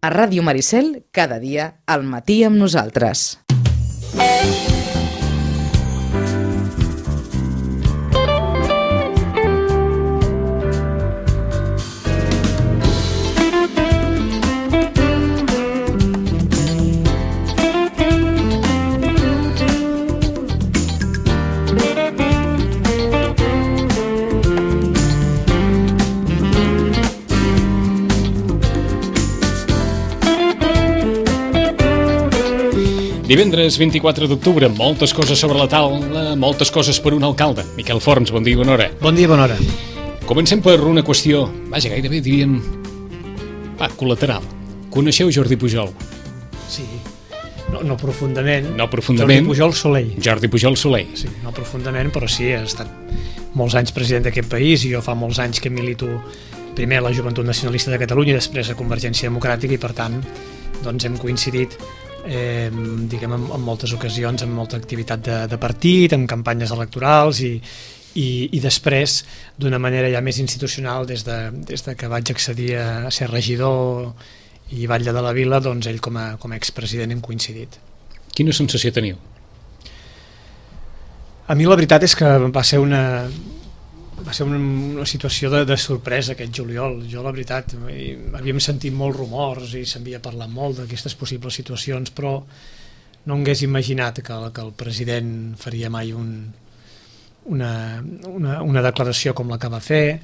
A Ràdio Maricel, cada dia, al matí amb nosaltres. Divendres 24 d'octubre, moltes coses sobre la taula, moltes coses per un alcalde. Miquel Forns, bon dia i bona hora. Bon dia i bona hora. Comencem per una qüestió, vaja, gairebé diríem, col·lateral. Coneixeu Jordi Pujol? Sí, no profundament. No profundament. Jordi Pujol Soler. Jordi Pujol Soler. Sí, no profundament, però sí, ha estat molts anys president d'aquest país i jo fa molts anys que milito primer a la Joventut Nacionalista de Catalunya i després a Convergència Democràtica i per tant doncs hem coincidit diguem en moltes ocasions, amb molta activitat de partit, amb campanyes electorals i després d'una manera ja més institucional des de que vaig accedir a ser regidor i batlle de la vila, doncs ell com a expresident hem coincidit. Quina sensació teniu? A mi la veritat és que va ser una situació de sorpresa aquest juliol. Jo la veritat havíem sentit molts rumors i s'havia parlat molt d'aquestes possibles situacions, però no hagués imaginat que el president faria mai una declaració com la que va fer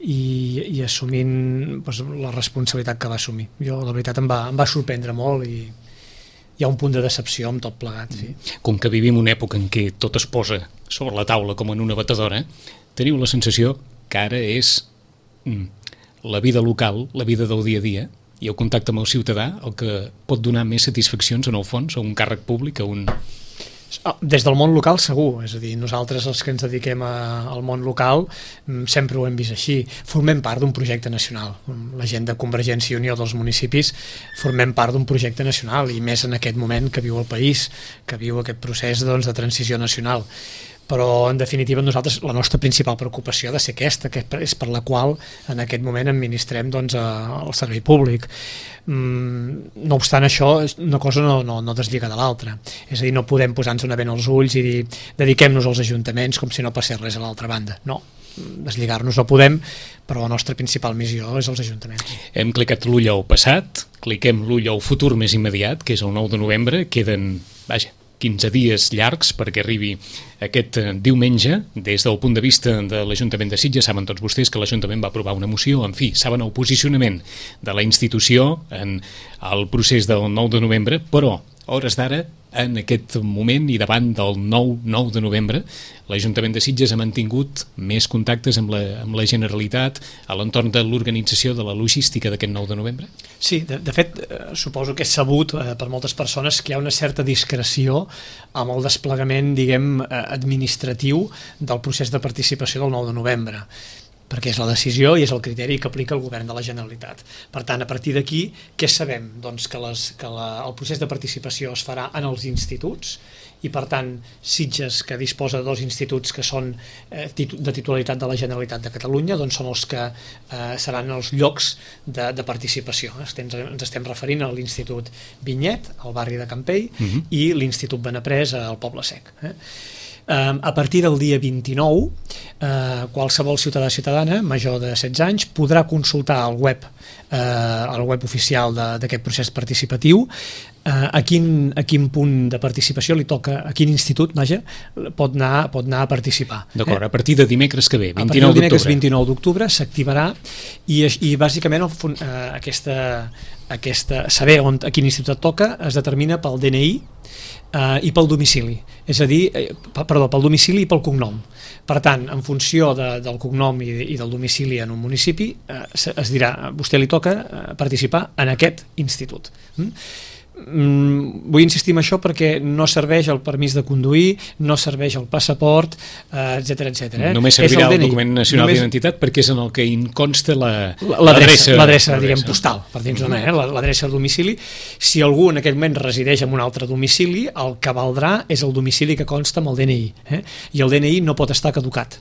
i assumint doncs, la responsabilitat que va assumir. Jo la veritat em va sorprendre molt i hi ha un punt de decepció amb tot plegat. Sí. Com que vivim una època en què tot es posa sobre la taula com en una batedora, teniu la sensació que ara és la vida local, la vida del dia a dia i el contacte amb el ciutadà el que pot donar més satisfaccions en el fons a un càrrec públic, a un... Des del món local segur, és a dir, nosaltres els que ens dediquem al món local sempre ho hem vist així, formem part d'un projecte nacional, la gent de Convergència i Unió dels municipis formem part d'un projecte nacional i més en aquest moment que viu el país, que viu aquest procés doncs, de transició nacional. Però en definitiva nosaltres la nostra principal preocupació ha de ser aquesta, que és per la qual en aquest moment administrem doncs, el servei públic. No obstant això, una cosa no deslliga de l'altra, és a dir, no podem posar-nos una vena als ulls i dir dediquem-nos als ajuntaments com si no passés res a l'altra banda, no, deslligar-nos no podem, però la nostra principal missió és els ajuntaments. Hem clicat l'ull al passat, cliquem l'ull al futur més immediat, que és el 9 de novembre, queden, 15 dies llargs perquè arribi aquest diumenge. Des del punt de vista de l'Ajuntament de Sitges, saben tots vostès que l'Ajuntament va aprovar una moció, en fi, saben el posicionament de la institució en el procés del 9 de novembre, però a hores d'ara, en aquest moment i davant del 9 de novembre, l'Ajuntament de Sitges ha mantingut més contactes amb la Generalitat a l'entorn de l'organització de la logística d'aquest 9 de novembre? Sí, de fet, suposo que és sabut per moltes persones que hi ha una certa discreció amb el desplegament, diguem, administratiu del procés de participació del 9 de novembre, perquè és la decisió i és el criteri que aplica el govern de la Generalitat. Per tant, a partir d'aquí, què sabem? Doncs que el procés de participació es farà en els instituts i, per tant, Sitges, que disposa de 2 instituts que són de titularitat de la Generalitat de Catalunya, doncs són els que seran els llocs de participació. Ens estem referint a l'Institut Vinyet, al barri de Campell, i l'Institut Benaprés, al Poble Sec. A partir del dia 29, qualsevol ciutadà o ciutadana major de 16 anys podrà consultar al web oficial d'aquest procés participatiu a quin punt de participació li toca, a quin institut pot anar a participar. D'acord, a partir de dimecres que ve, 29 d'octubre. A partir del dimecres 29 d'octubre s'activarà i bàsicament saber a quin institut et toca es determina pel DNI i pel domicili, és a dir, pel domicili i pel cognom. Per tant, en funció del cognom i del domicili en un municipi, es dirà, a vostè li toca participar en aquest institut. Vull insistir en això perquè no serveix el permís de conduir, no serveix el passaport, etc etc. Només servirà el document nacional d'identitat perquè és en el que consta l'adreça, diguem, postal, per dir-nos l'adreça de domicili. Si algú en aquell moment resideix en un altre domicili, el que valdrà és el domicili que consta amb el DNI, i el DNI no pot estar caducat.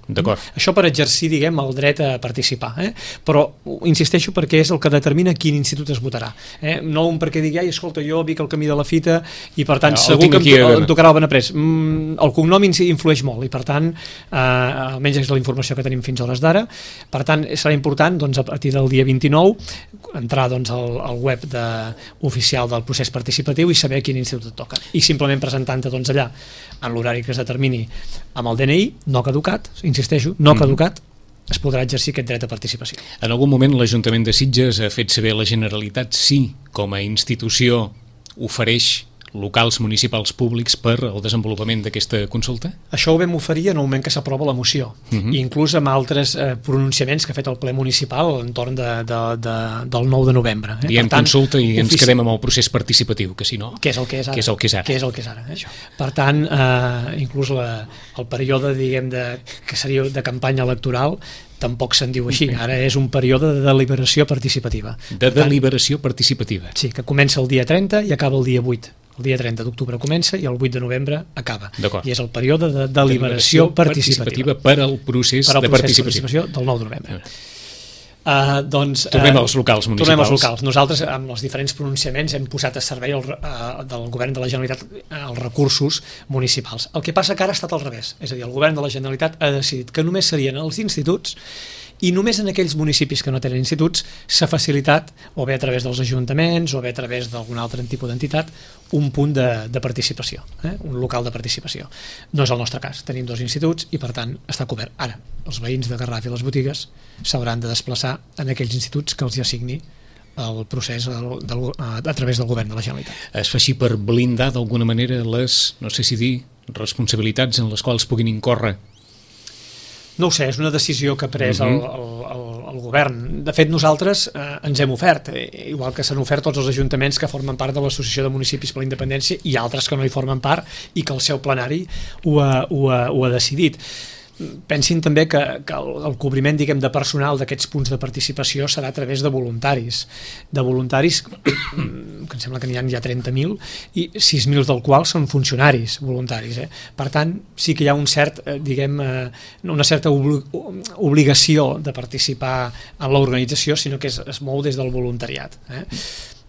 Això per exercir, diguem, el dret a participar, però insisteixo perquè és el que determina quin institut es votarà, no un perquè digui, escolta, jo vic al camí de la Fita i per tant segur que em tocarà el Benaprés. El cognom influeix molt i per tant, almenys és la informació que tenim fins a hores d'ara, per tant serà important a partir del dia 29 entrar al web oficial del procés participatiu i saber quin institut et toca, i simplement presentant-te allà en l'horari que es determini amb el DNI, no caducat, insisteixo, no caducat, es podrà exercir aquest dret de participació. En algun moment l'Ajuntament de Sitges ha fet saber a la Generalitat si, com a institució, ofereix locals municipals públics per al desenvolupament d'aquesta consulta? Això ho vam oferir en el moment que s'aprova la moció, i inclús amb altres pronunciaments que ha fet el ple municipal entorn del 9 de novembre. Diem consulta i ens quedem amb el procés participatiu, que si no... Que és el que és ara. Que és el que és ara. Per tant, inclús el període, diguem, que seria de campanya electoral tampoc se'n diu així, ara és un període de deliberació participativa. De deliberació participativa. Sí, que comença el dia 30 i acaba el dia 8. El dia 30 d'octubre comença i el 8 de novembre acaba. I és el període de deliberació participativa per al procés de participació del 9 de novembre. Tornem als locals municipals. Nosaltres, amb els diferents pronunciaments, hem posat a servei del govern de la Generalitat els recursos municipals. El que passa que ara ha estat al revés, és a dir, el govern de la Generalitat ha decidit que només serien els instituts, i només en aquells municipis que no tenen instituts s'ha facilitat, o bé a través dels ajuntaments o bé a través d'algun altre tipus d'entitat, un punt de participació, un local de participació. No és el nostre cas, tenim 2 instituts i per tant està cobert. Ara, els veïns de Garraf i les botigues s'hauran de desplaçar en aquells instituts que els hi assigni el procés a través del govern de la Generalitat. Es fa així per blindar d'alguna manera les, no sé si dir, responsabilitats en les quals puguin incórrer? No ho sé, és una decisió que ha pres el govern. De fet, nosaltres ens hem ofert, igual que s'han ofert tots els ajuntaments que formen part de l'Associació de Municipis per la Independència i altres que no hi formen part i que el seu plenari ho ha decidit. Pensin també que el cobriment, diguem, de personal d'aquests punts de participació serà a través de voluntaris, que em sembla que n'hi ha ja 30.000 i 6.000 del qual són funcionaris voluntaris. Per tant, sí que hi ha un cert, diguem, una certa obligació de participar en l'organització, sinó que es mou des del voluntariat.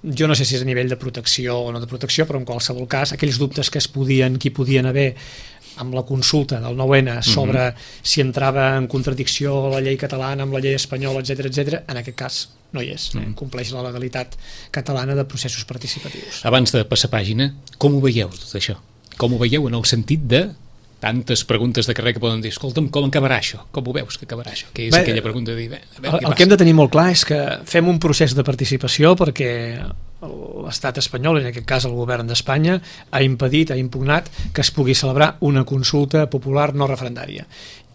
Jo no sé si és a nivell de protecció o no de protecció, però en qualsevol cas, aquells dubtes que hi podien haver amb la consulta del 9N sobre si entrava en contradicció la llei catalana amb la llei espanyola, etc., en aquest cas no hi és, compleix la legalitat catalana de processos participatius. Abans de passar pàgina, com ho veieu tot això? Com ho veieu en el sentit de tantes preguntes de carrer que poden dir, escolta'm, com acabarà això? Com ho veus que acabarà això? Que és aquella pregunta de dir, el que hem de tenir molt clar és que fem un procés de participació perquè l'estat espanyol, en aquest cas el govern d'Espanya, ha impedit, ha impugnat que es pugui celebrar una consulta popular no referendària.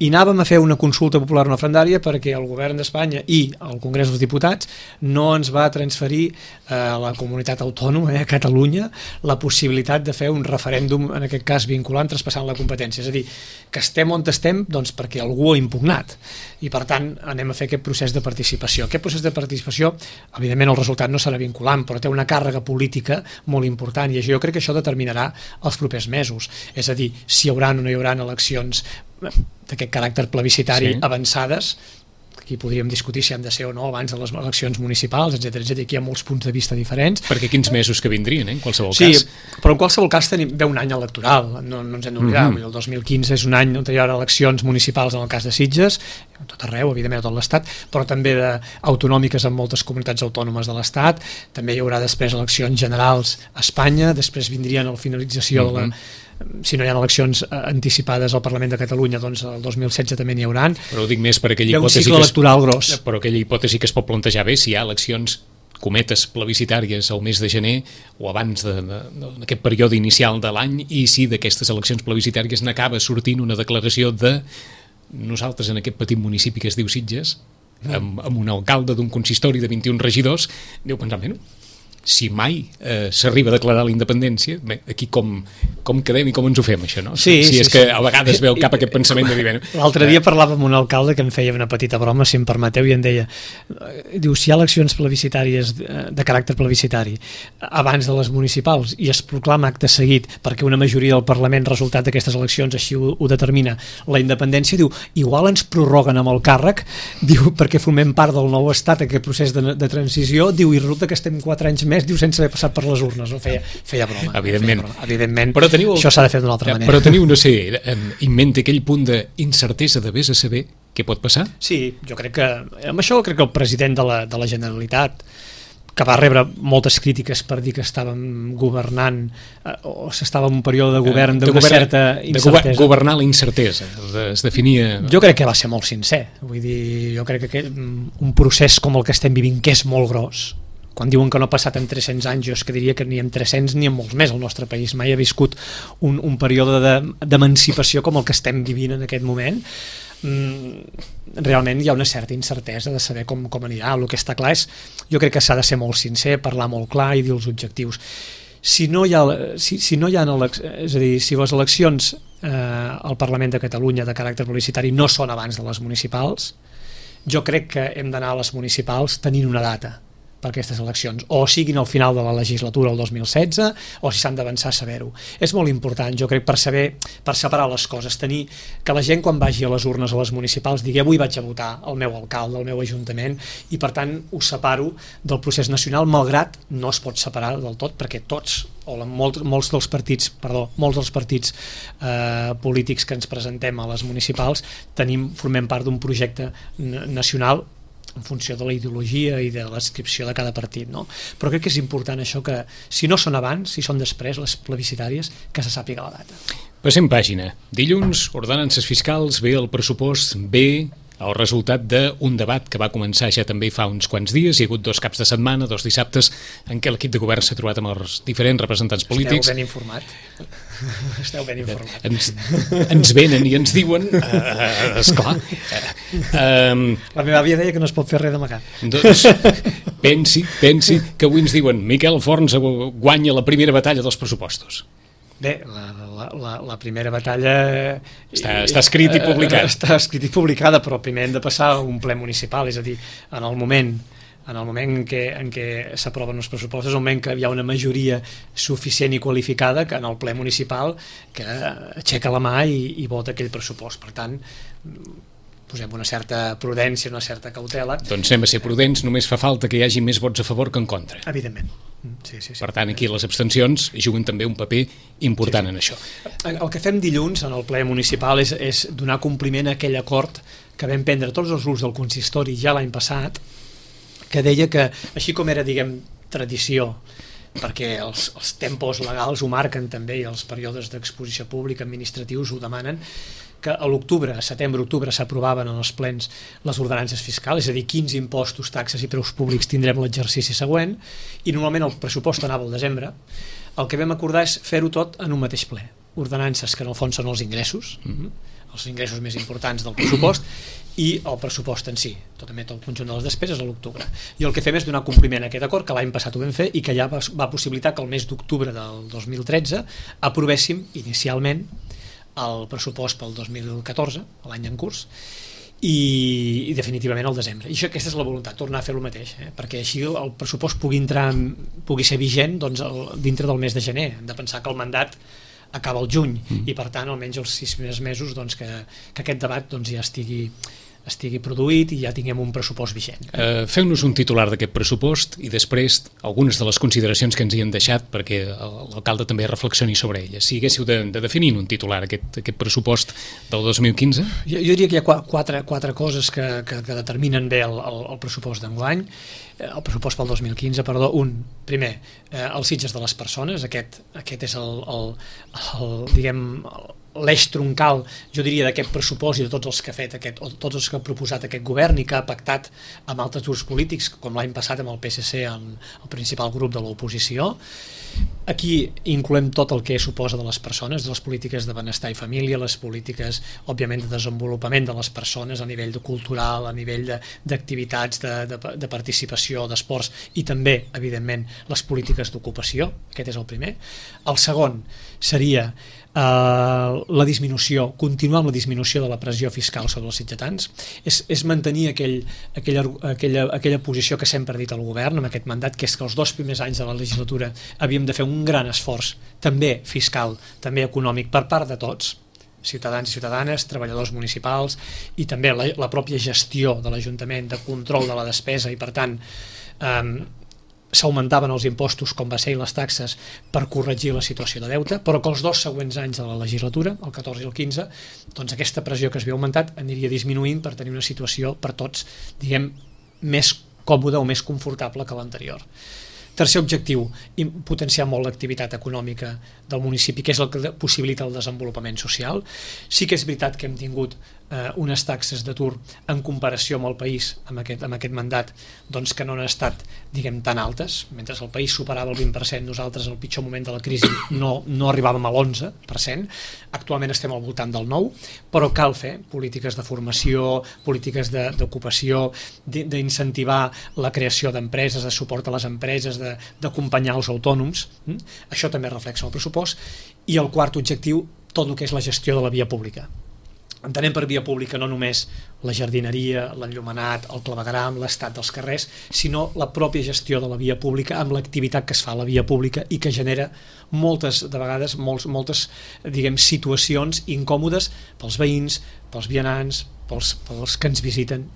I anàvem a fer una consulta popular no referendària perquè el govern d'Espanya i el Congrés dels Diputats no ens va transferir a la comunitat autònoma, a Catalunya, la possibilitat de fer un referèndum, en aquest cas vinculant, traspassant la competència. És a dir, que estem on estem doncs perquè algú ha impugnat. I per tant anem a fer aquest procés de participació. Aquest procés de participació, evidentment el resultat no serà vinculant, però té una càrrega política molt important i jo crec que això determinarà els propers mesos. És a dir, si hi haurà o no hi haurà eleccions d'aquest caràcter plebiscitari avançades, aquí podríem discutir si han de ser o no abans de les eleccions municipals, etc. Aquí hi ha molts punts de vista diferents. Perquè quins mesos que vindrien, en qualsevol cas. Sí, però en qualsevol cas ve un any electoral, no ens hem d'oblidar. El 2015 és un any on hi haurà eleccions municipals en el cas de Sitges, a tot arreu, evidentment a tot l'Estat, però també autonòmiques en moltes comunitats autònomes de l'Estat, també hi haurà després eleccions generals a Espanya, després vindrien a la finalització de si no hi ha eleccions anticipades al Parlament de Catalunya, doncs el 2016 també n'hi hauran. Però ho dic més per aquella hipòtesi un cicle electoral gros. Però aquella hipòtesi que es pot plantejar bé si hi ha eleccions cometes plebiscitàries al mes de gener o abans d'aquest període inicial de l'any i si d'aquestes eleccions plebiscitàries n'acaba sortint una declaració de nosaltres en aquest petit municipi que es diu Sitges, amb un alcalde d'un consistori de 21 regidors, aneu pensant, si mai s'arriba a declarar la independència, bé, aquí com quedem i com ens ho fem, això, no? Sí, si és sí, que sí. a vegades veu cap aquest pensament de dir... L'altre dia parlava amb un alcalde que em feia una petita broma, si em permeteu, i em deia, diu, si hi ha eleccions plebiscitàries de caràcter plebiscitari abans de les municipals i es proclama acte seguit perquè una majoria del Parlament, resultat d'aquestes eleccions, així ho determina, la independència, diu, igual ens prorroguen amb el càrrec, diu, perquè formem part del nou estat, aquest procés de transició, diu, i resulta que estem 4 anys més, diu, sense haver passat per les urnes, no? Feia broma. Evidentment, però això s'ha de fer d'una altra manera. Però teniu, no sé, en ment aquell punt d'incertesa de vés a saber què pot passar? Sí, jo crec que, amb això crec que el president de la Generalitat, que va rebre moltes crítiques per dir que estàvem governant o s'estava en un període de govern d'una certa incertesa. Governar la incertesa, es definia... Jo crec que va ser molt sincer, vull dir, jo crec que un procés com el que estem vivint, que és molt gros, quan diuen que no ha passat en 300 anys, jo és que diria que ni en 300 ni en molts més el nostre país mai ha viscut un període d'emancipació com el que estem vivint en aquest moment. Realment hi ha una certa incertesa de saber com anirà. El que està clar és, jo crec que s'ha de ser molt sincer, parlar molt clar i dir els objectius. Si no hi ha, és a dir, si les eleccions al Parlament de Catalunya de caràcter plebiscitari no són abans de les municipals, jo crec que hem d'anar a les municipals tenint una data per aquestes eleccions, o siguin al final de la legislatura el 2016, o si s'han d'avançar a saber-ho. És molt important, jo crec, per separar les coses, tenir que la gent quan vagi a les urnes a les municipals digui avui vaig a votar el meu alcalde, el meu ajuntament, i per tant ho separo del procés nacional, malgrat no es pot separar del tot, perquè tots, o molts dels partits polítics que ens presentem a les municipals formem part d'un projecte nacional en funció de la ideologia i de l'adscripció de cada partit, no? Però crec que és important això, que si no són abans, si són després, les plebiscitàries, que se sàpiga la data. Passem pàgina. Dilluns, ordenances fiscals, ve el pressupost, ve el resultat d'un debat que va començar ja també fa uns quants dies. Hi ha hagut 2 caps de setmana, 2 dissabtes, en què l'equip de govern s'ha trobat amb els diferents representants polítics. Esteu ben informat. Esteu ben informat. Ens venen i ens diuen, esclar. La meva àvia deia que no es pot fer res d'amagat. Doncs pensi que avui ens diuen Miquel Forns guanya la primera batalla dels pressupostos. Bé, la primera batalla... Està escrit i publicat. Està escrit i publicada, però primer hem de passar a un ple municipal, és a dir, en el moment en què s'aproven els pressupostos, en el moment que hi ha una majoria suficient i qualificada que en el ple municipal que aixeca la mà i vota aquell pressupost. Per tant, posem una certa prudència, una certa cautela. Doncs anem a ser prudents, només fa falta que hi hagi més vots a favor que en contra. Evidentment. Sí. Per tant, aquí les abstencions juguen també un paper important en això. El que fem dilluns en el ple municipal és donar compliment a aquell acord que vam prendre tots els grups del consistori ja l'any passat, que deia que, així com era, diguem, tradició, perquè els tempos legals ho marquen també i els períodes d'exposició pública administratius ho demanen, que a l'octubre, a setembre-octubre s'aprovaven en els plens les ordenances fiscals, és a dir, quins impostos, taxes i preus públics tindrem l'exercici següent, i normalment el pressupost anava al desembre. El que vam acordar és fer-ho tot en un mateix ple. Ordenances que en el fons són els ingressos més importants del pressupost, i el pressupost en si, també tot el conjunt de les despeses a l'octubre. I el que fem és donar compliment a aquest acord, que l'any passat ho vam fer i que ja va possibilitar que el mes d'octubre del 2013 aprovéssim inicialment el pressupost pel 2014, l'any en curs, i definitivament al desembre. I aquesta és la voluntat, tornar a fer el mateix, perquè així el pressupost pugui ser vigent dintre del mes de gener. Hem de pensar que el mandat acaba el juny i per tant almenys els 6 mesos que aquest debat ja estigui produït i ja tinguem un pressupost vigent. Feu-nos un titular d'aquest pressupost i després algunes de les consideracions que ens hi han deixat perquè l'alcalde també reflexioni sobre elles. Si haguéssiu de definir un titular aquest pressupost del 2015? Jo diria que hi ha quatre coses que determinen bé el pressupost d'enguany, el pressupost pel 2015, perdó. Primer, els Sitges de les persones, aquest és diguem, l'eix troncal, jo diria, d'aquest pressupost i de tots els que ha fet tots els que ha proposat aquest govern i que ha pactat amb altres grups polítics, com l'any passat amb el PSC, el principal grup de l'oposició. Aquí incloem tot el que suposa de les persones, de les polítiques de benestar i família, les polítiques, òbviament, de desenvolupament de les persones a nivell cultural, a nivell d'activitats, de participació, d'esports, i també, evidentment, les polítiques d'ocupació. Aquest és el primer. El segon seria la disminució, continuar amb la disminució de la pressió fiscal sobre els sitgetans, és mantenir aquella posició que sempre ha dit el govern amb aquest mandat, que és que els 2 primers anys de la legislatura havíem de fer un gran esforç, també fiscal, també econòmic, per part de tots, ciutadans i ciutadanes, treballadors municipals, i també la pròpia gestió de l'Ajuntament, de control de la despesa, i per tant s'augmentaven els impostos, com va ser, i les taxes per corregir la situació de deute, però que els 2 següents anys de la legislatura, el 14 i el 15, doncs aquesta pressió que s'havia augmentat aniria disminuint per tenir una situació per tots, diguem, més còmoda o més confortable que l'anterior. Tercer objectiu, potenciar molt l'activitat econòmica del municipi, que és el que possibilita el desenvolupament social. Sí que és veritat que hem tingut unes taxes d'atur en comparació amb el país, amb aquest mandat, doncs que no han estat, diguem, tan altes. Mentre el país superava el 20%, nosaltres en el pitjor moment de la crisi no arribàvem a l'11%. Actualment estem al voltant del 9%, però cal fer polítiques de formació, polítiques d'ocupació, d'incentivar la creació d'empreses, de suport a les empreses, d'acompanyar els autònoms. Això també reflexa el pressupost. I el quart objectiu, tot el que és la gestió de la via pública. Entenem per via pública no només la jardineria, l'enllumenat, el clavegueram, l'estat dels carrers, sinó la pròpia gestió de la via pública amb l'activitat que es fa a la via pública i que genera moltes, de vegades, moltes, diguem, situacions incòmodes pels veïns, pels vianants, pels que ens visiten.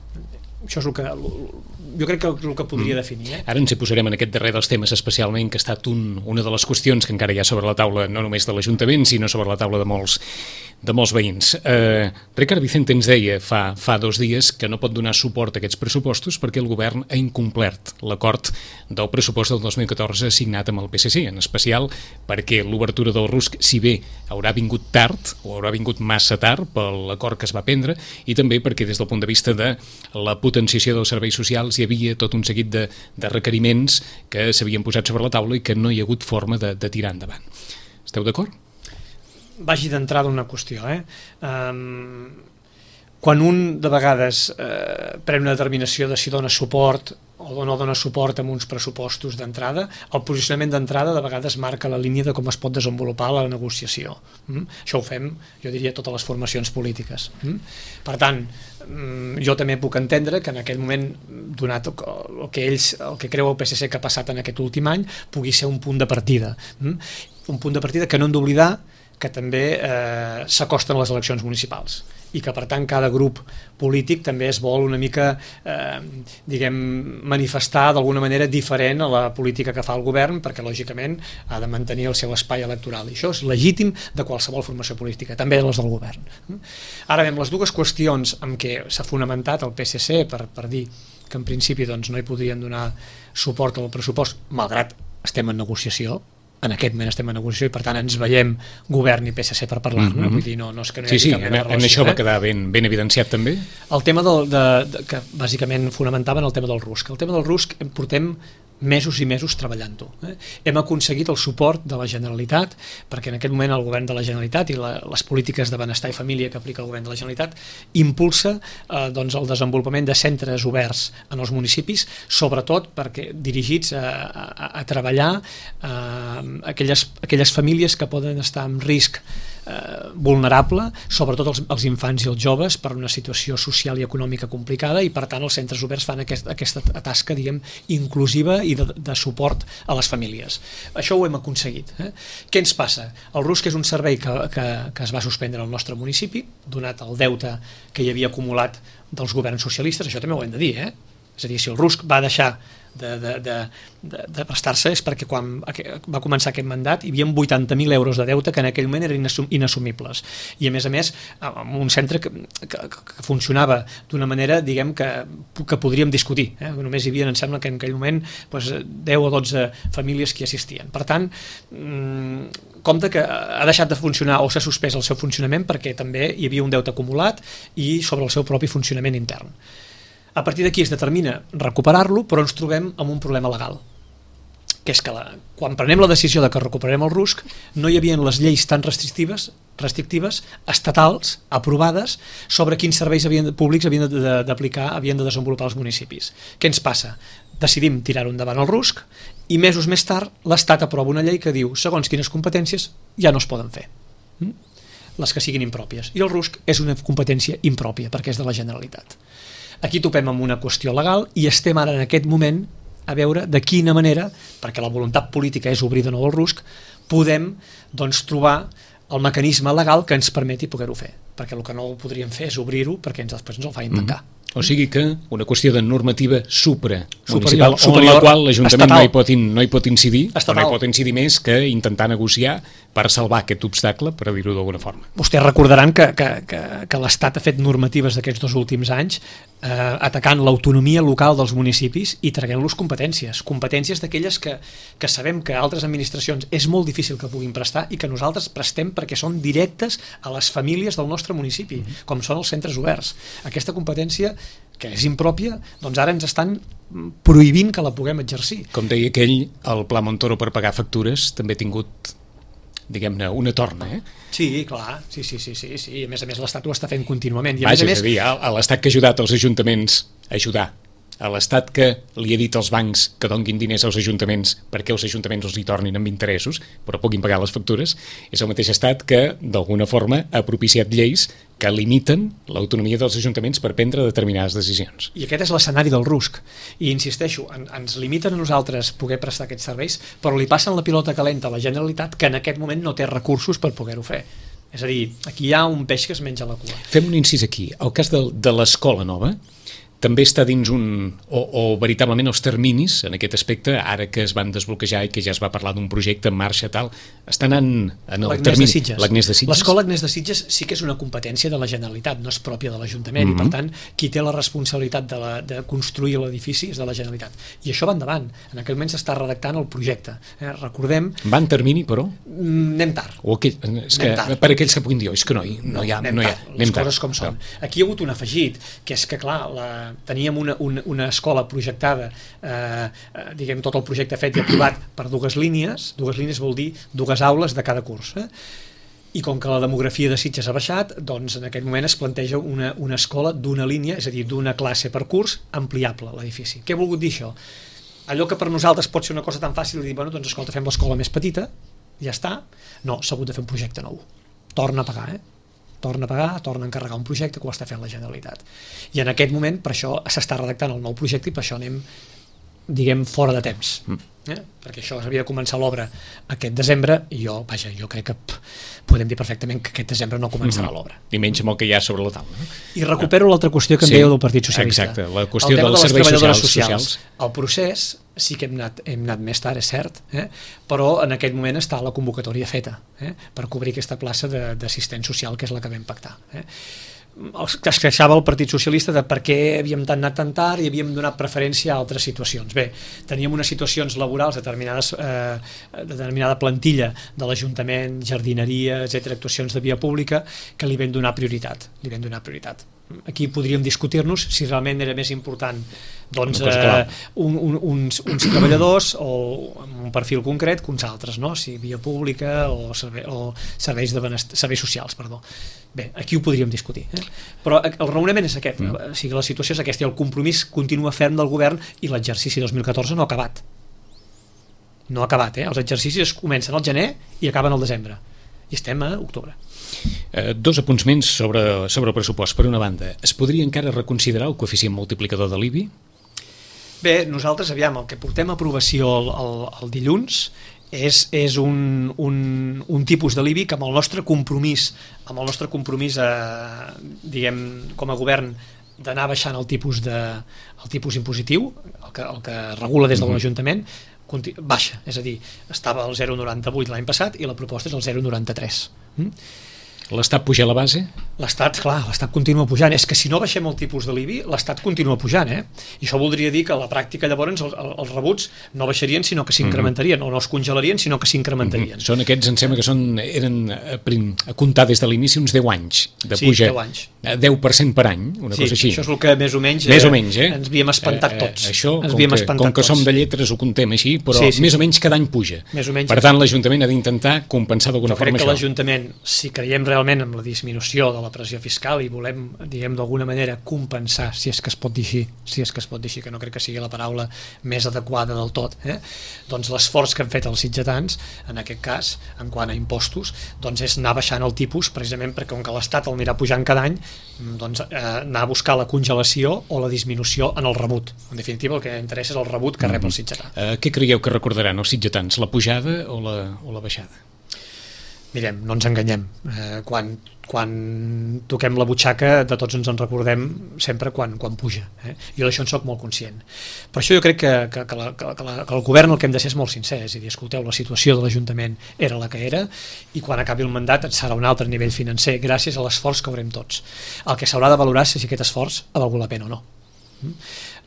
Això és el que jo crec que el que podria definir. Ara ens hi posarem en aquest darrer dels temes especialment, que ha estat una de les qüestions que encara hi ha sobre la taula, no només de l'Ajuntament, sinó sobre la taula de molts veïns. Ricard Vicente ens deia fa 2 dies que no pot donar suport a aquests pressupostos perquè el govern ha incomplert l'acord del pressupost del 2014 signat amb el PSC, en especial perquè l'obertura del RUSC, si bé haurà vingut tard o haurà vingut massa tard per l'acord que es va prendre, i també perquè des del punt de vista de la potenciació dels serveis socials hi havia tot un seguit de requeriments que s'havien posat sobre la taula i que no hi ha hagut forma de tirar endavant. Esteu d'acord? Vagi d'entrada una qüestió. Quan un de vegades pren una determinació de si dona suport o no dona suport amb uns pressupostos d'entrada, el posicionament d'entrada de vegades marca la línia de com es pot desenvolupar la negociació. Això ho fem, jo diria, totes les formacions polítiques. Per tant, jo també puc entendre que en aquest moment, donat el que creu el PSC que ha passat en aquest últim any, pugui ser un punt de partida. Un punt de partida que no hem d'oblidar que també s'acosten les eleccions municipals i que, per tant, cada grup polític també es vol una mica, manifestar d'alguna manera diferent a la política que fa el govern, perquè, lògicament, ha de mantenir el seu espai electoral. I això és legítim de qualsevol formació política, també les del govern. Ara bé, les dues qüestions en què s'ha fonamentat el PSC per dir que, en principi, no hi podrien donar suport al pressupost, malgrat estem en negociació, en aquest moment estem en negociació i per tant ens veiem govern i PSC per parlar-ne, vull dir, no és que no hi hagi cap mena de relació. En això va quedar ben evidenciat també. El tema que bàsicament fonamentaven el tema del RUSC. El tema del RUSC portem mesos i mesos treballant-ho. Hem aconseguit el suport de la Generalitat, perquè en aquest moment el govern de la Generalitat i les polítiques de benestar i família que aplica el govern de la Generalitat impulsa el desenvolupament de centres oberts en els municipis, sobretot perquè dirigits a treballar aquelles famílies que poden estar en risc vulnerable, sobretot els infants i els joves, per una situació social i econòmica complicada, i per tant els centres oberts fan aquesta tasca, diguem, inclusiva i de suport a les famílies. Això ho hem aconseguit. Què ens passa? El RUSC és un servei que es va suspendre al nostre municipi, donat el deute que hi havia acumulat dels governs socialistes, això també ho hem de dir, és a dir, si el RUSC va deixar de prestar-se és perquè quan va començar aquest mandat hi havia 80.000 euros de deute que en aquell moment eren inassumibles, i a més amb un centre que funcionava d'una manera, diguem, que podríem discutir, només hi havia, em sembla que en aquell moment 10 o 12 famílies que hi assistien. Per tant, compte que ha deixat de funcionar o s'ha suspès el seu funcionament perquè també hi havia un deute acumulat i sobre el seu propi funcionament intern. A partir d'aquí es determina recuperar-lo, però ens trobem amb un problema legal. que és que quan prenem la decisió de que recuperarem el RUSC no hi havia les lleis tan restrictives estatals aprovades sobre quins serveis públics havien d'aplicar, havien de desenvolupar els municipis. Què ens passa? Decidim tirar-ho endavant el RUSC i mesos més tard l'Estat aprova una llei que diu segons quines competències ja no es poden fer, les que siguin impròpies, i el RUSC és una competència impròpia perquè és de la Generalitat. Aquí topem amb una qüestió legal i estem ara en aquest moment a veure de quina manera, perquè la voluntat política és obrir de nou el RUSC, podem trobar el mecanisme legal que ens permeti poder-ho fer, perquè el que no podríem fer és obrir-ho perquè després ens el facin tancar. O sigui que una qüestió de normativa supramunicipal en la qual l'Ajuntament no hi pot incidir, o no hi pot incidir més que intentar negociar per salvar aquest obstacle, per dir-ho d'alguna forma. Vostès recordaran que l'Estat ha fet normatives d'aquests 2 últims anys atacant l'autonomia local dels municipis i traient-los competències d'aquelles que sabem que altres administracions és molt difícil que puguin prestar i que nosaltres prestem perquè són directes a les famílies del nostre municipi, com són els centres oberts. Aquesta competència, que és impròpia, doncs ara ens estan prohibint que la puguem exercir. Com deia aquell, el Pla Montoro per pagar factures també ha tingut, diguem-ne, una torna, Sí, clar, sí. I a més l'Estat ho està fent contínuament. És a dir, a l'Estat que ha ajudat els ajuntaments a ajudar, a l'Estat que li ha dit als bancs que donguin diners als ajuntaments perquè els ajuntaments els hi tornin amb interessos però puguin pagar les factures, és el mateix Estat que d'alguna forma ha propiciat lleis que limiten l'autonomia dels ajuntaments per prendre determinades decisions. I aquest és l'escenari del RUSC. I insisteixo, ens limiten a nosaltres poder prestar aquests serveis, però li passen la pilota calenta a la Generalitat que en aquest moment no té recursos per poder-ho fer. És a dir, aquí hi ha un peix que es menja la cua. Fem un incís aquí. El cas de l'escola nova també està dins o veritablement els terminis en aquest aspecte, ara que es van desbloquejar i que ja es va parlar d'un projecte en marxa tal, està anant en el termini. L'Agnès de Sitges. L'escola Agnès de Sitges sí que és una competència de la Generalitat, no és pròpia de l'Ajuntament, i per tant qui té la responsabilitat de construir l'edifici és de la Generalitat. I això va endavant. En aquell moment s'està redactant el projecte. Recordem... Va en termini, però? Anem tard. Per aquells que puguin dir, és que no hi ha. Les coses com són. Aquí hi ha hagut un afegit, que és que clar, teníem una escola projectada, diguem tot el projecte fet i aprovat per 2 línies vol dir 2 aules de cada curs, i com que la demografia de Sitges ha baixat, doncs en aquest moment es planteja una escola d'una línia, és a dir, d'una classe per curs ampliable l'edifici. Què ha volgut dir això? Allò que per nosaltres pot ser una cosa tan fàcil de dir, bueno, doncs escolta, fem l'escola més petita, ja està. No, s'ha hagut de fer un projecte nou. Torna a pagar, torna a encarregar un projecte que ho està fent la Generalitat. I en aquest moment, per això s'està redactant el nou projecte i per això anem, diguem, fora de temps. Perquè això havia de començar l'obra aquest desembre i jo crec que podem dir perfectament que aquest desembre no començarà l'obra. I menys amb el que hi ha sobre la taula. I recupero l'altra qüestió que em dèieu del Partit Socialista. Exacte, la qüestió dels serveis socials. El procés sí que hem anat més tard, és cert, però en aquest moment està la convocatòria feta per cobrir aquesta plaça d'assistent social, que és la que vam pactar. Es queixava el Partit Socialista de per què havíem anat tan tard i havíem donat preferència a altres situacions. Bé, teníem unes situacions laborals determinada plantilla de l'Ajuntament, jardineria, etc., actuacions de via pública, que li vam donar prioritat. Aquí podríem discutir-nos si realment era més important uns treballadors o amb un perfil concret que uns altres, si via pública o serveis socials, perdó. Bé, aquí ho podríem discutir, però el raonament és aquest, o sigui, la situació és aquesta i el compromís continua ferm del govern i l'exercici 2014 no ha acabat. Els exercicis comencen al gener i acaben al desembre i estem a octubre. 2 apunts menys sobre el pressupost. Per una banda, es podria encara reconsiderar el coeficient multiplicador de l'IBI? Bé, nosaltres, el que portem a aprovació el dilluns és un tipus de l'IBI que amb el nostre compromís diguem, com a govern d'anar baixant el tipus impositiu, el que regula des de l'Ajuntament, baixa, és a dir, estava al 0,98 l'any passat i la proposta és el 0,93. L'Estat puja la base? L'Estat, clar, l'Estat continua pujant. És que si no baixem el tipus de l'IBI, l'Estat continua pujant, I això voldria dir que a la pràctica llavors els rebuts no baixarien, sinó que s'incrementarien, o no es congelarien, sinó que s'incrementarien. Són aquests, em sembla que eren a comptar des de l'inici uns 10 anys de puja. 10 anys. 10% per any, una cosa així. Això és el que més o menys, ens havíem espantat tots. Això, com que som de lletres, ho contem així, però més o menys cada any puja. Per tant, l'Ajuntament ha d'intentar compensar d'alguna forma això. Jo crec que l'Ajuntament, si creiem realment en la disminució de la pressió fiscal i volem, diguem, d'alguna manera compensar, si és que es pot dir així, que no crec que sigui la paraula més adequada del tot, doncs l'esforç que han fet els sitgetans, en aquest cas, en quant a impostos, doncs és anar baixant el tipus, precisament perquè com que l'Estat el anirà pujant cada any, doncs anar a buscar la congelació o la disminució en el rebut. En definitiva, el que interessa és el rebut que rep el sitgetà. Què creieu que recordaran els sitgetans, la pujada o la baixada? Mirem, no ens enganyem. Quan toquem la butxaca, de tots ens en recordem sempre quan puja. Jo d'això en soc molt conscient. Per això jo crec que el govern el que hem de ser és molt sincer, és a dir, escolteu, la situació de l'Ajuntament era la que era i quan acabi el mandat serà un altre nivell financer gràcies a l'esforç que haurem tots. El que s'haurà de valorar és si aquest esforç ha valgut la pena o no.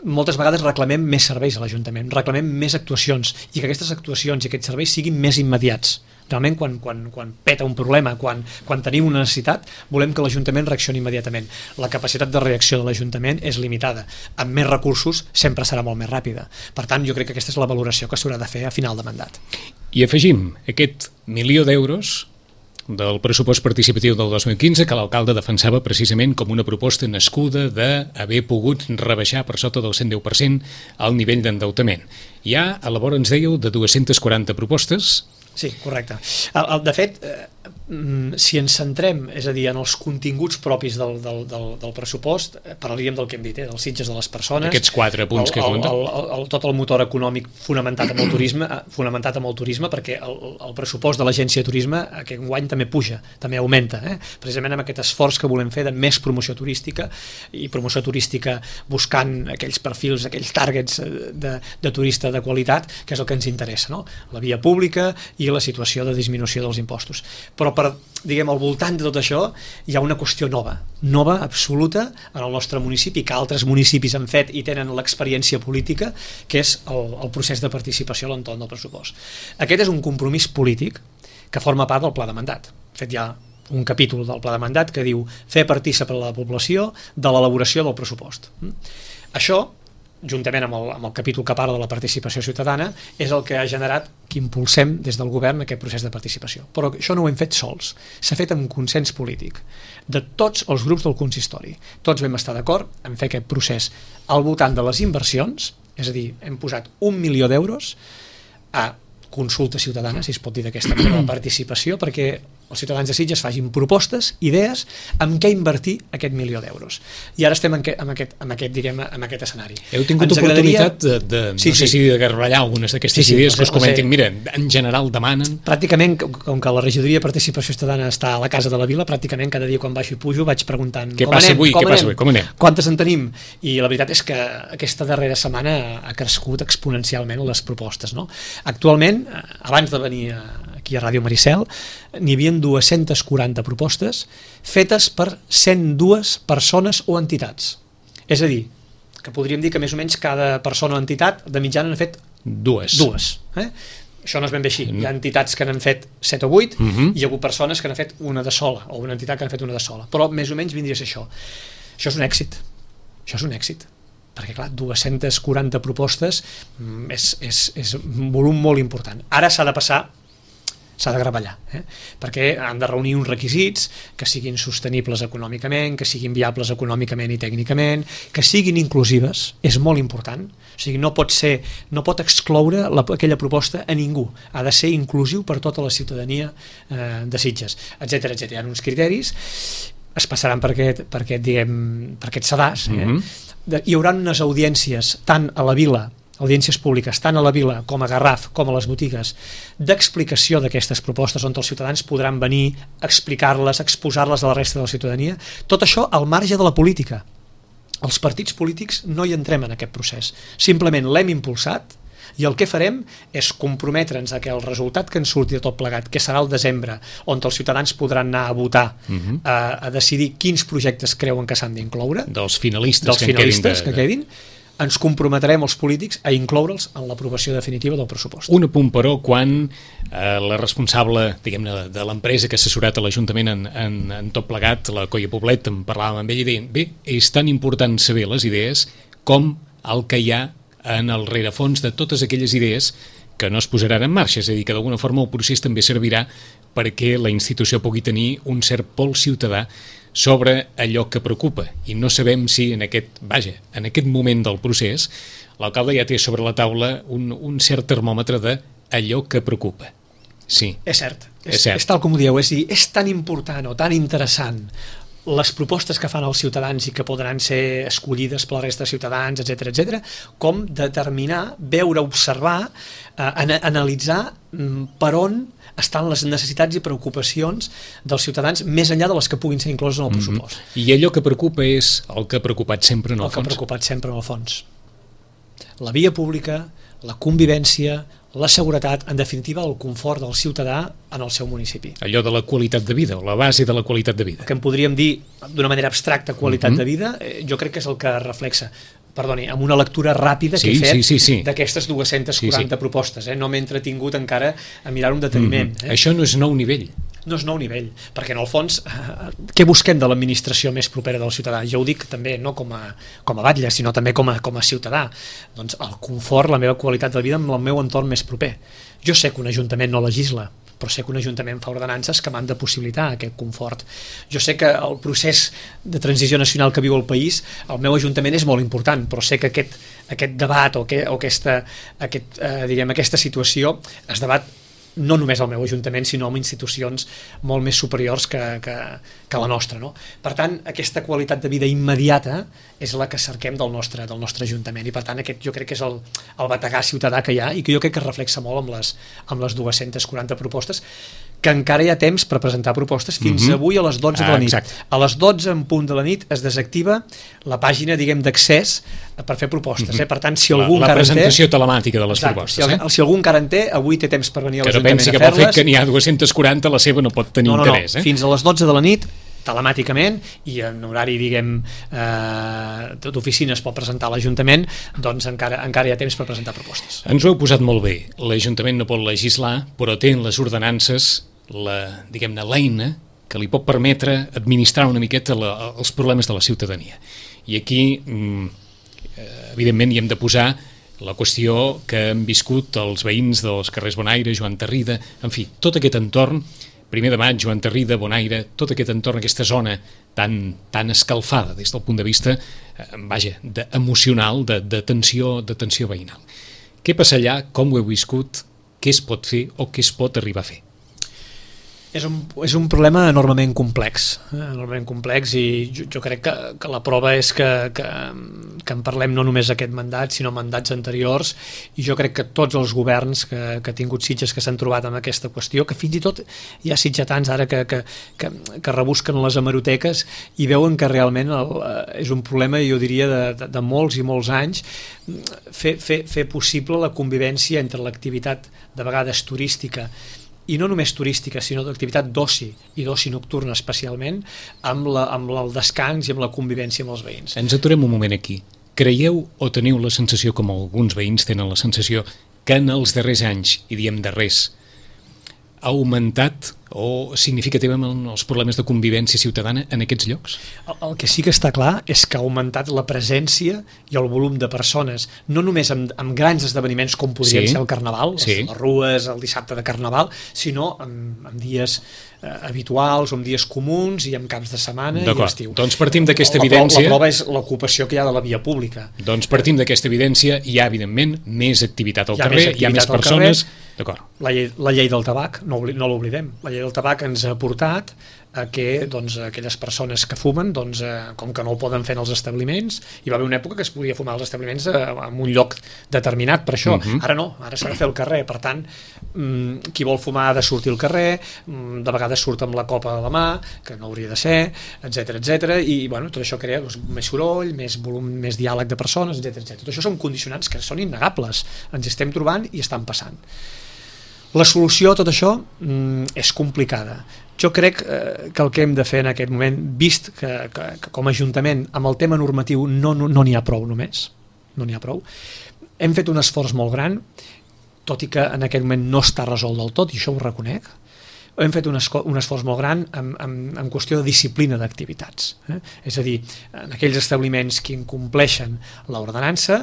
Moltes vegades reclamem més serveis a l'Ajuntament, reclamem més actuacions i que aquestes actuacions i aquests serveis siguin més immediats. Realment quan peta un problema, quan tenim una necessitat, volem que l'Ajuntament reaccioni immediatament. La capacitat de reacció de l'Ajuntament és limitada. Amb més recursos sempre serà molt més ràpida. Per tant, jo crec que aquesta és la valoració que s'haurà de fer a final de mandat. I afegim aquest 1.000.000 d'euros del pressupost participatiu del 2015 que l'alcalde defensava precisament com una proposta nascuda d'haver pogut rebaixar per sota del 110% el nivell d'endeutament. Hi ha, a la vora ens dèieu, de 240 propostes. Sí, correcte. De fet, si ens centrem, és a dir, en els continguts propis del pressupost, parlaríem del que hem dit, dels Sitges de les persones, aquests 4 punts que compten, tot el motor econòmic fonamentat amb el turisme, perquè el pressupost de l'Agència de Turisme aquest any també puja, també augmenta, precisament amb aquest esforç que volem fer de més promoció turística i promoció turística buscant aquells perfils, aquells targets de turista de qualitat, que és el que ens interessa, no? La via pública i la situació de disminució dels impostos. Però diguem, al voltant de tot això hi ha una qüestió nova absoluta en el nostre municipi, que altres municipis han fet i tenen l'experiència política, que és el procés de participació a l'entorn del pressupost. Aquest és un compromís polític que forma part del pla de mandat. De fet, hi ha un capítol del pla de mandat que diu fer partícip a la població de l'elaboració del pressupost. Això, juntament amb el capítol que parla de la participació ciutadana, és el que ha generat que impulsem des del govern aquest procés de participació. Però això no ho hem fet sols, s'ha fet amb consens polític de tots els grups del consistori. Tots vam estar d'acord en fer aquest procés al voltant de les inversions, és a dir, hem posat 1 milió d'euros a consulta ciutadana, si es pot dir d'aquesta manera, participació, perquè els ciutadans de Sitges facin propostes, idees, amb què invertir aquest 1 milió d'euros. I ara estem en aquest escenari. Heu tingut oportunitat no sé si de garballar algunes d'aquestes idees que us comentin. Mira, en general demanen... Pràcticament, com que la regidoria de participació ciutadana està a la Casa de la Vila, pràcticament cada dia quan baixo i pujo vaig preguntant què passa avui, com anem? Quantes en tenim? I la veritat és que aquesta darrera setmana ha crescut exponencialment les propostes. Actualment, abans de venir aquí a Ràdio Maricel, n'hi havia 240 propostes fetes per 102 persones o entitats. És a dir, que podríem dir que més o menys cada persona o entitat de mitjana n'ha fet dues. Això no és ben bé així. Hi ha entitats que n'han fet 7 o 8 i hi ha hagut persones que n'han fet una de sola, o una entitat que n'ha fet una de sola. Però més o menys vindria a ser això. Això és un èxit. Perquè, clar, 240 propostes és un volum molt important. Ara s'ha de gravallar, perquè han de reunir uns requisits que siguin sostenibles econòmicament, que siguin viables econòmicament i tècnicament, que siguin inclusives, és molt important. O sigui, no pot excloure aquella proposta a ningú, ha de ser inclusiu per tota la ciutadania de Sitges, etc. Hi ha uns criteris, es passaran per aquest sedàs, hi haurà unes audiències tant a la vila, audiències públiques, tant a la vila com a Garraf, com a les botigues, d'explicació d'aquestes propostes on els ciutadans podran venir, explicar-les, exposar-les a la resta de la ciutadania. Tot això al marge de la política. Els partits polítics no hi entrem en aquest procés. Simplement l'hem impulsat I el que farem és comprometre'ns a que el resultat que ens surti de tot plegat, que serà el desembre, on els ciutadans podran anar a votar, a decidir quins projectes creuen que s'han d'incloure, dels finalistes que quedin, ens comprometrem els polítics a incloure'ls en l'aprovació definitiva del pressupost. Un apunt, però, quan la responsable, diguem-ne, de l'empresa que ha assessorat a l'Ajuntament en tot plegat, la Coia Poblet, en parlàvem amb ell i deien, bé, és tan important saber les idees com el que hi ha en el rerefons de totes aquelles idees que no es posaran en marxa, és a dir, que d'alguna forma el procés també servirà perquè la institució pugui tenir un cert pols ciutadà sobre allò que preocupa, i no sabem si en aquest moment del procés l'alcalde ja té sobre la taula un cert termòmetre d'allò que preocupa. Sí. És cert. És tal com ho dieu, és a dir, és tan important o tan interessant les propostes que fan els ciutadans i que podran ser escollides per la resta de ciutadans, etc, com determinar, veure, observar, analitzar per on estan les necessitats i preocupacions dels ciutadans més enllà de les que puguin ser incloses en el pressupost. I allò que preocupa és el que ha preocupat sempre en el fons? El que ha preocupat sempre en el fons. La via pública, la convivència, la seguretat, en definitiva el confort del ciutadà en el seu municipi. Allò de la qualitat de vida, o la base de la qualitat de vida. El que en podríem dir d'una manera abstracta qualitat de vida, jo crec que és el que reflexa. Perdoni, amb una lectura ràpida que he fet d'aquestes 240 propostes. No m'he entretingut encara a mirar un deteniment. Això no és nou nivell. No és nou nivell, perquè en el fons què busquem de l'administració més propera del ciutadà? Jo ho dic també no com a batlle, sinó també com a ciutadà. Doncs el confort, la meva qualitat de vida amb el meu entorn més proper. Jo sé que un ajuntament no legisla, però sé que un ajuntament fa ordenances que m'han de possibilitar aquest confort. Jo sé que el procés de transició nacional que viu el país, el meu ajuntament és molt important, però sé que aquest debat o aquesta situació es debat no només al meu ajuntament, sinó amb institucions molt més superiors que la nostra. No? Per tant, aquesta qualitat de vida immediata és la que cerquem del nostre ajuntament, i per tant aquest jo crec que és el bategar ciutadà que hi ha i que jo crec que es reflexa molt amb les 240 propostes, que encara hi ha temps per presentar propostes fins avui a les 12 de la nit. A les 12 en punt de la nit es desactiva la pàgina, diguem, d'accés per fer propostes. Per tant, si algú encara en té... La presentació telemàtica de les propostes. Si algú encara en té, avui té temps per venir a l'Ajuntament a fer-les. Que no pensi que pel fet que n'hi ha 240 la seva no pot tenir interès. Fins a les 12 de la nit, telemàticament, i en horari, diguem, d'oficines pot presentar a l'Ajuntament, doncs encara hi ha temps per presentar propostes. Ens ho heu posat molt bé. L'Ajuntament no pot legislar, però té en les ordenances l'eina que li pot permetre administrar una miqueta els problemes de la ciutadania. I aquí, evidentment, hi hem de posar la qüestió que han viscut els veïns dels carrers Bonaire, Joan Tarrida, en fi, tot aquest entorn, 1 de maig, Joan Tarrida, Bonaire, tot aquest entorn, aquesta zona tan escalfada des del punt de vista, emocional, de tensió veïnal. Què passa allà, com ho heu viscut, què es pot fer o què es pot arribar a fer? És un problema enormement complex, i jo crec que la prova és que en parlem no només aquest mandat, sinó mandats anteriors, i jo crec que tots els governs que ha tingut Sitges que s'han trobat amb aquesta qüestió, que fins i tot hi ha sitgetans ara que rebusquen les hemeroteques i veuen que realment és un problema, jo diria, de molts i molts anys, fer possible la convivència entre l'activitat de vegades turística, i no només turística, sinó d'activitat d'oci, i d'oci nocturna especialment, amb el descans i amb la convivència amb els veïns. Ens aturem un moment aquí. Creieu o teniu la sensació, com alguns veïns tenen la sensació, que en els darrers anys, i diem darrers, ha augmentat o significativament els problemes de convivència ciutadana en aquests llocs? El que sí que està clar és que ha augmentat la presència i el volum de persones, no només amb grans esdeveniments com podrien ser el Carnaval, les rues, el dissabte de Carnaval, sinó amb dies habituals, amb dies comuns i amb caps de setmana i estiu. Doncs partim d'aquesta evidència... La prova és l'ocupació que hi ha de la via pública. Doncs partim d'aquesta evidència, hi ha evidentment més activitat al carrer, hi ha més persones... La llei del tabac, no l'oblidem, la llei llei del tabac ens ha portat a que aquelles persones que fumen, com que no ho poden fer en els establiments, hi va haver una època que es podia fumar als establiments en un lloc determinat per això. Ara no, ara s'ha de fer al carrer. Per tant, qui vol fumar ha de sortir al carrer, de vegades surt amb la copa a la mà, que no hauria de ser, etc. I tot això crea més soroll, més volum, més diàleg de persones, etc. Tot això són condicionants que són innegables, ens estem trobant i estan passant. La solució a tot això és complicada. Jo crec que el que hem de fer en aquest moment, vist que com a Ajuntament amb el tema normatiu no n'hi ha prou només, no n'hi ha prou, hem fet un esforç molt gran, tot i que en aquest moment no està resolt del tot, i això ho reconec. Hem fet un esforç molt gran en qüestió de disciplina d'activitats. És a dir, en aquells establiments que incompleixen l'ordenança,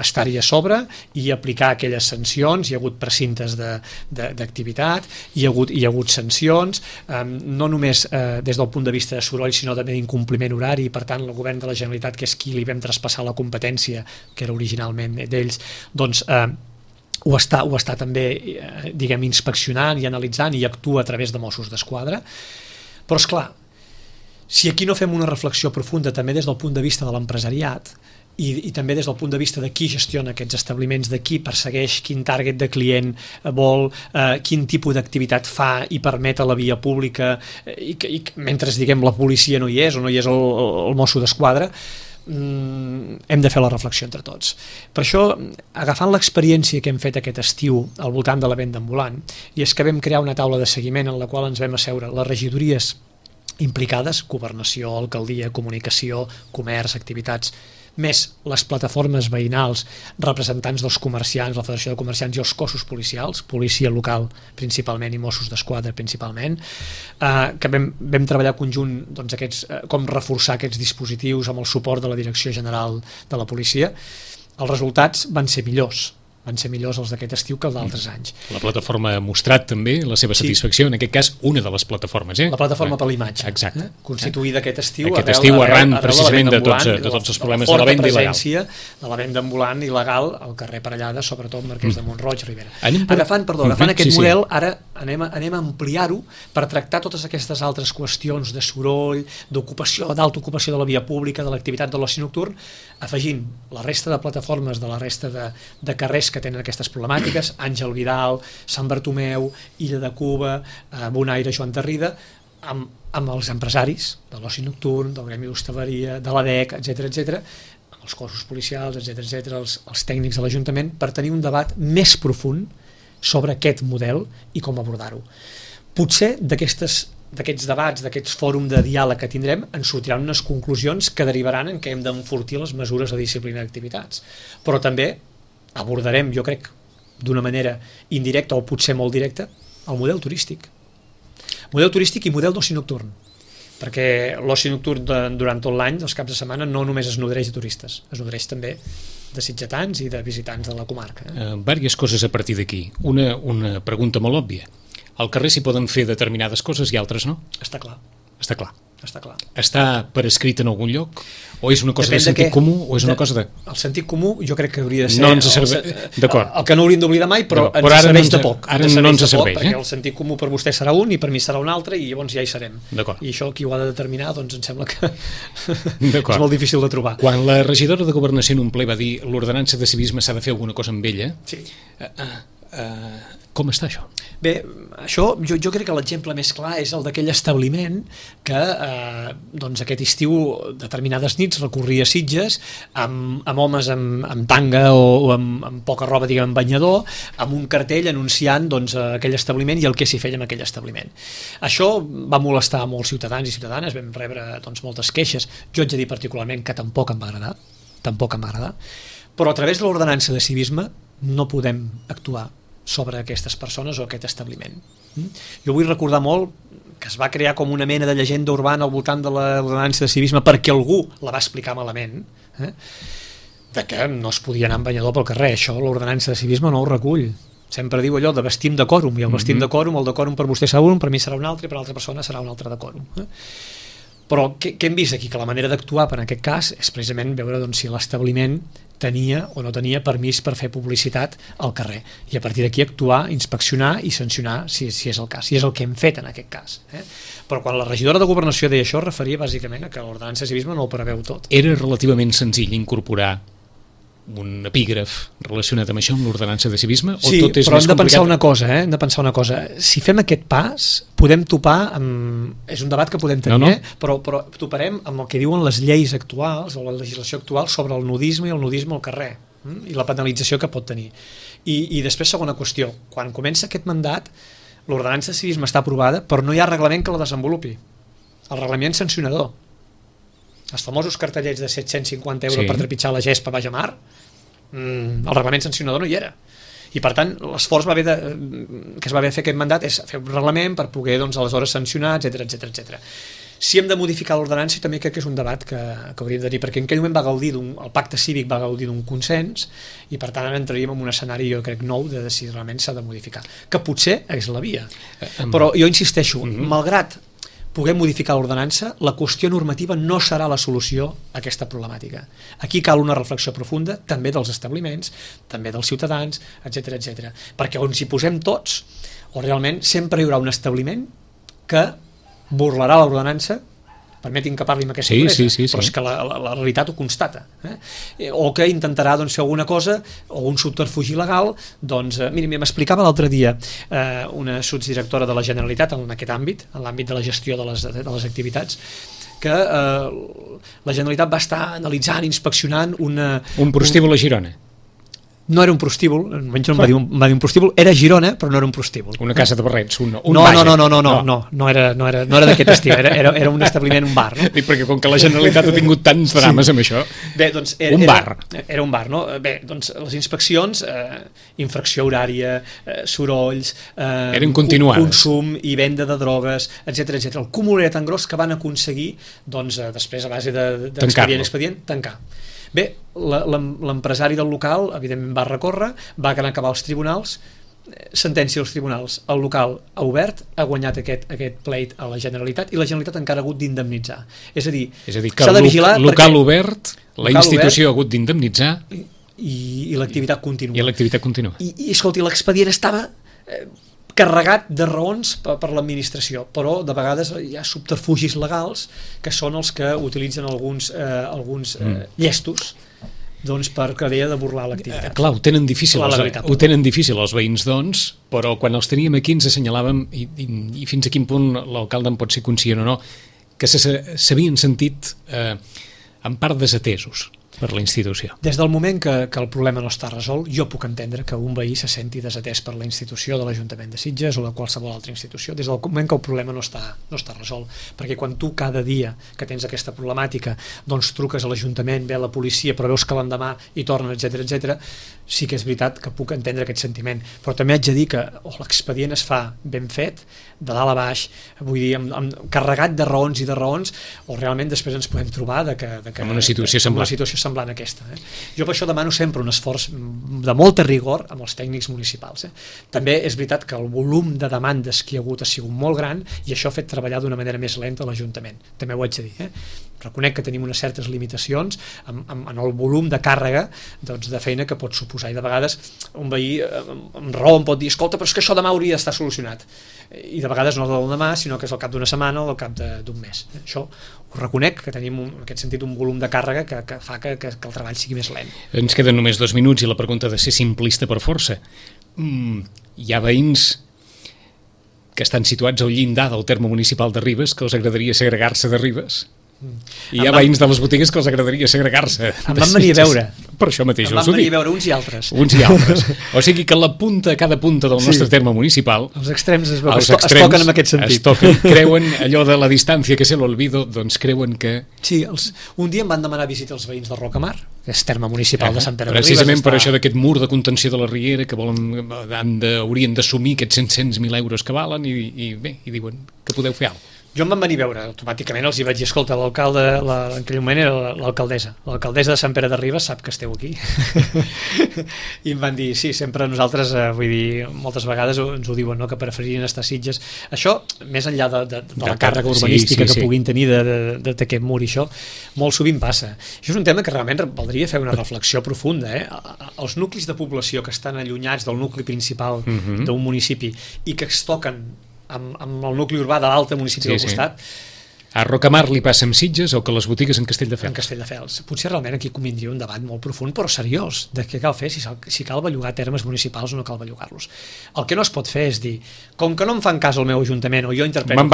estar-hi a sobre i aplicar aquelles sancions. Hi ha hagut precintes d'activitat, hi ha hagut sancions, no només des del punt de vista de soroll, sinó també d'incompliment horari, i per tant el govern de la Generalitat, que és qui li vam traspassar la competència, que era originalment d'ells, ho està també inspeccionant i analitzant i actua a través de Mossos d'Esquadra. Però és clar, si aquí no fem una reflexió profunda també des del punt de vista de l'empresariat i també des del punt de vista de qui gestiona aquests establiments, de qui persegueix, quin target de client vol, quin tipus d'activitat fa i permet a la via pública, i mentre la policia no hi és o no hi és el Mosso d'Esquadra, hem de fer la reflexió entre tots. Per això, agafant l'experiència que hem fet aquest estiu al voltant de la venda ambulant, i és que vam crear una taula de seguiment en la qual ens vam asseure les regidories implicades, governació, alcaldia, comunicació, comerç, activitats, més les plataformes veïnals, representants dels comerciants, la Federació de Comerciants i els cossos policials, policia local principalment i Mossos d'Esquadra principalment, que vam treballar conjunt com reforçar aquests dispositius amb el suport de la Direcció General de la Policia. Els resultats van ser millors els d'aquest estiu que els d'altres anys. La plataforma ha mostrat també la seva satisfacció, en aquest cas una de les plataformes. La plataforma per l'imatge. Exacte. Constituïda aquest estiu arran precisament de tots els problemes de la venda il·legal. De la venda ambulant il·legal al carrer Parellada, sobretot Marquès de Montroig, Ribera. Agafant aquest model, ara anem a ampliar-ho per tractar totes aquestes altres qüestions de soroll, d'ocupació, d'alta ocupació de la via pública, de l'activitat de l'oci nocturn, afegint la resta de plataformes de la resta de carrers que tenen aquestes problemàtiques, Àngel Vidal, Sant Bartomeu, Illa de Cuba, Bonaire, Joan Tarrida, amb els empresaris de l'oci nocturn, del gremi d'hostaleria, de l'ADEC, etc., amb els cossos policials, etc., els tècnics de l'Ajuntament, per tenir un debat més profund sobre aquest model i com abordar-ho. Potser d'aquests debats, d'aquests fòrums de diàleg que tindrem, en sortiran unes conclusions que derivaran en què hem d'enfortir les mesures de disciplina d'activitats. Però també abordarem, jo crec, d'una manera indirecta o potser molt directa, el model turístic. Model turístic i model d'oci nocturn. Perquè l'oci nocturn durant tot l'any, els caps de setmana, no només es nodreix de turistes, es nodreix també de sitgetans i de visitants de la comarca. Vàries coses a partir d'aquí. Una pregunta molt òbvia. Al carrer s'hi poden fer determinades coses i altres no? Està clar. Està per escrit en algun lloc? O és una cosa de sentit comú? O és una cosa de... El sentit comú jo crec que hauria de ser... No ens serveix... D'acord. El que no hauríem d'oblidar mai, però ens serveix de poc. Ara no ens serveix, perquè el sentit comú per vostè serà un i per mi serà un altre i llavors ja hi serem. D'acord. I això qui ho ha de determinar, doncs em sembla que és molt difícil de trobar. Quan la regidora de Governació en un ple va dir l'ordenança de civisme s'ha de fer alguna cosa amb ella... Sí. Com està això? Bé, això jo crec que l'exemple més clar és el d'aquell establiment que aquest estiu determinades nits recorria Sitges amb homes amb tanga o amb poca roba, amb banyador, amb un cartell anunciant aquell establiment i el que s'hi feia en aquell establiment. Això va molestar molts ciutadans i ciutadanes, vam rebre moltes queixes, jo haig de dir particularment que tampoc em va agradar, però a través de l'ordenança de civisme no podem actuar sobre aquestes persones o aquest establiment. Jo vull recordar molt que es va crear com una mena de llegenda urbana al voltant de l'ordenança de civisme perquè algú la va explicar malament, de que no es podia anar amb banyador pel carrer. Això l'ordenança de civisme no ho recull. Sempre diu allò de vestim de quòrum, i el vestim de quòrum, el de quòrum per vostè serà un, per mi serà un altre, i per l'altra persona serà un altre de quòrum. Però què hem vist aquí? Que la manera d'actuar per en aquest cas és precisament veure si l'establiment tenia o no tenia permís per fer publicitat al carrer, i a partir d'aquí actuar, inspeccionar i sancionar si és el cas, i és el que hem fet en aquest cas. Però quan la regidora de Governació deia això, referia bàsicament a que l'ordenança de civisme no ho preveu tot. Era relativament senzill incorporar un epígraf relacionat amb això, amb l'ordenança de civisme, o sí, tot és però més hem de pensar complicat? hem de pensar una cosa. Si fem aquest pas, podem topar amb... És un debat que podem tenir, però toparem amb el que diuen les lleis actuals o la legislació actual sobre el nudisme i el nudisme al carrer, i la penalització que pot tenir. I després, segona qüestió, quan comença aquest mandat, l'ordenança de civisme està aprovada, però no hi ha reglament que la desenvolupi. El reglament sancionador. Els famosos cartellets de 750 euros per trepitjar la gespa baix a mar, el reglament sancionador no hi era. I per tant, l'esforç que es va haver de fer aquest mandat és fer un reglament per poder aleshores sancionar, etc. Si hem de modificar l'ordenança, també crec que és un debat que hauríem de tenir, perquè en aquell moment el pacte cívic va gaudir d'un consens, i per tant ara entraríem en un escenari, jo crec, nou de si realment s'ha de modificar, que potser és la via. Però jo insisteixo, malgrat puguem modificar l'ordenança, la qüestió normativa no serà la solució a aquesta problemàtica. Aquí cal una reflexió profunda, també dels establiments, també dels ciutadans, etc. Perquè on s'hi posem tots, o realment sempre hi haurà un establiment que burlarà l'ordenança, permetin que parli amb aquesta duresa, però és que la realitat ho constata, o que intentarà fer alguna cosa, o un subterfugi legal. Miri, m'explicava l'altre dia una sotsdirectora de la Generalitat en aquest àmbit, en l'àmbit de la gestió de les activitats, que la Generalitat va estar analitzant, inspeccionant un prostíbul a Girona. No era un prostíbul, almenys no em va dir un prostíbul, era Girona, però no era un prostíbul. Una casa de barrets, un no era d'aquest estil, era un establiment, un bar. Dic, perquè com que la Generalitat ha tingut tants drames amb això, un bar. Era un bar, no? Bé, les inspeccions, infracció horària, sorolls, eren continuades, consum i venda de drogues, etc. El cúmul era tan gros que van aconseguir, després a base d'expedient, tancar. Bé, l'empresari del local evidentment va recórrer, va acabar als tribunals, sentència dels tribunals, el local ha obert, ha guanyat aquest pleit a la Generalitat, i la Generalitat encara ha hagut d'indemnitzar. És a dir, que el local obert, la institució ha hagut d'indemnitzar i l'activitat continua. I escolti, l'expedient estava carregat de raons per l'administració, però de vegades hi ha subterfugis legals que són els que utilitzen alguns llestos per creure de burlar l'activitat. Clar, ho tenen difícil els veïns, però quan els teníem aquí ens assenyalàvem, i fins a quin punt l'alcalde en pot ser conscient o no, que s'havien sentit en part desatesos per la institució. Des del moment que el problema no està resolt, jo puc entendre que un veí se senti desatès per la institució de l'Ajuntament de Sitges o de qualsevol altra institució, des del moment que el problema no està resolt, perquè quan tu cada dia que tens aquesta problemàtica truques a l'Ajuntament, ve a la policia, però veus que l'endemà hi tornen, etc. Sí que és veritat que puc entendre aquest sentiment, però també haig de dir que l'expedient es fa ben fet, de dalt a baix, vull dir, carregat de raons i de raons, o realment després ens podem trobar en una situació semblant a aquesta. Jo per això demano sempre un esforç de molta rigor amb els tècnics municipals. També és veritat que el volum de demandes que hi ha hagut ha sigut molt gran, i això ha fet treballar d'una manera més lenta l'Ajuntament, també ho haig de dir. Reconec que tenim unes certes limitacions en el volum de càrrega de feina que pot suposar, i de vegades un veí amb raó em pot dir, escolta, però és que això demà hauria d'estar solucionat, i de vegades no és el demà, sinó que és al cap d'una setmana o al cap d'un mes. Això ho reconec, que tenim en aquest sentit un volum de càrrega que fa que el treball sigui més lent. Ens queden només 2 minuts i la pregunta ha de ser simplista per força. Hi ha veïns que estan situats al llindar del terme municipal de Ribes que els agradaria segregar-se de Ribes, i hi ha veïns de les botigues que els agradaria segregar-se. Em van venir a veure. Per això mateix em van venir a veure uns i altres. O sigui que cada punta del nostre terme municipal, els extrems es toquen en aquest sentit. Creuen allò de la distància que se l'olvido, creuen que... Sí, un dia em van demanar visita als veïns de Rocamar, que és terme municipal de Sant Pere de Ribes. Precisament per això d'aquest mur de contenció de la Riera que haurien d'assumir aquests 100.000 euros que valen, i bé, i diuen que podeu fer alguna cosa. Jo em van venir a veure, automàticament els hi vaig dir, escolta, l'alcalde, en aquell moment era l'alcaldessa de Sant Pere de Ribes sap que esteu aquí. I em van dir, sí, sempre nosaltres, vull dir, moltes vegades ens ho diuen, no? Que preferirien estar a Sitges. Això, més enllà de la càrrega urbanística que puguin tenir d'aquest mur i això, molt sovint passa. Això és un tema que realment valdria fer una reflexió profunda. Els nuclis de població que estan allunyats del nucli principal d'un municipi i que es toquen amb el nucli urbà de l'altre municipi del costat. A Rocamar li passa amb Sitges o que les botigues en Castelldefels? En Castelldefels. Potser realment aquí convindria un debat molt profund però seriós de què cal fer, si cal bellugar termes municipals o no cal bellugar-los. El que no es pot fer és dir, com que no em fan cas al meu ajuntament o jo interpreto me'n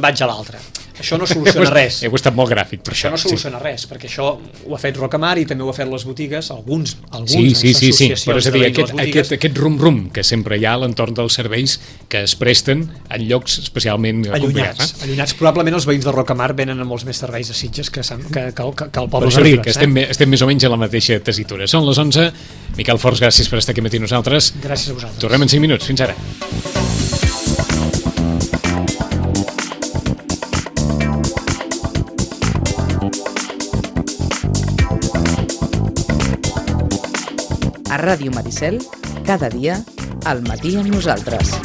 vaig a l'altre. Això no soluciona res. Heu estat molt gràfic per això no soluciona res, perquè això ho ha fet Rocamar i també ho ha fet les botigues, alguns associacions però és a dir, aquest rum-rum que sempre hi ha a l'entorn dels serveis que es presten en llocs especialment allunyats. Probablement els veïns de Rocamar venen a molts més serveis a Sitges que el poble de Ribes. Estem més o menys a la mateixa tessitura. Són les 11. Miquel Forns, gràcies per estar aquí amb nosaltres. Gràcies a vosaltres. Tornem en 5 minuts. Fins ara. A Ràdio Maricel, cada dia, al matí amb nosaltres.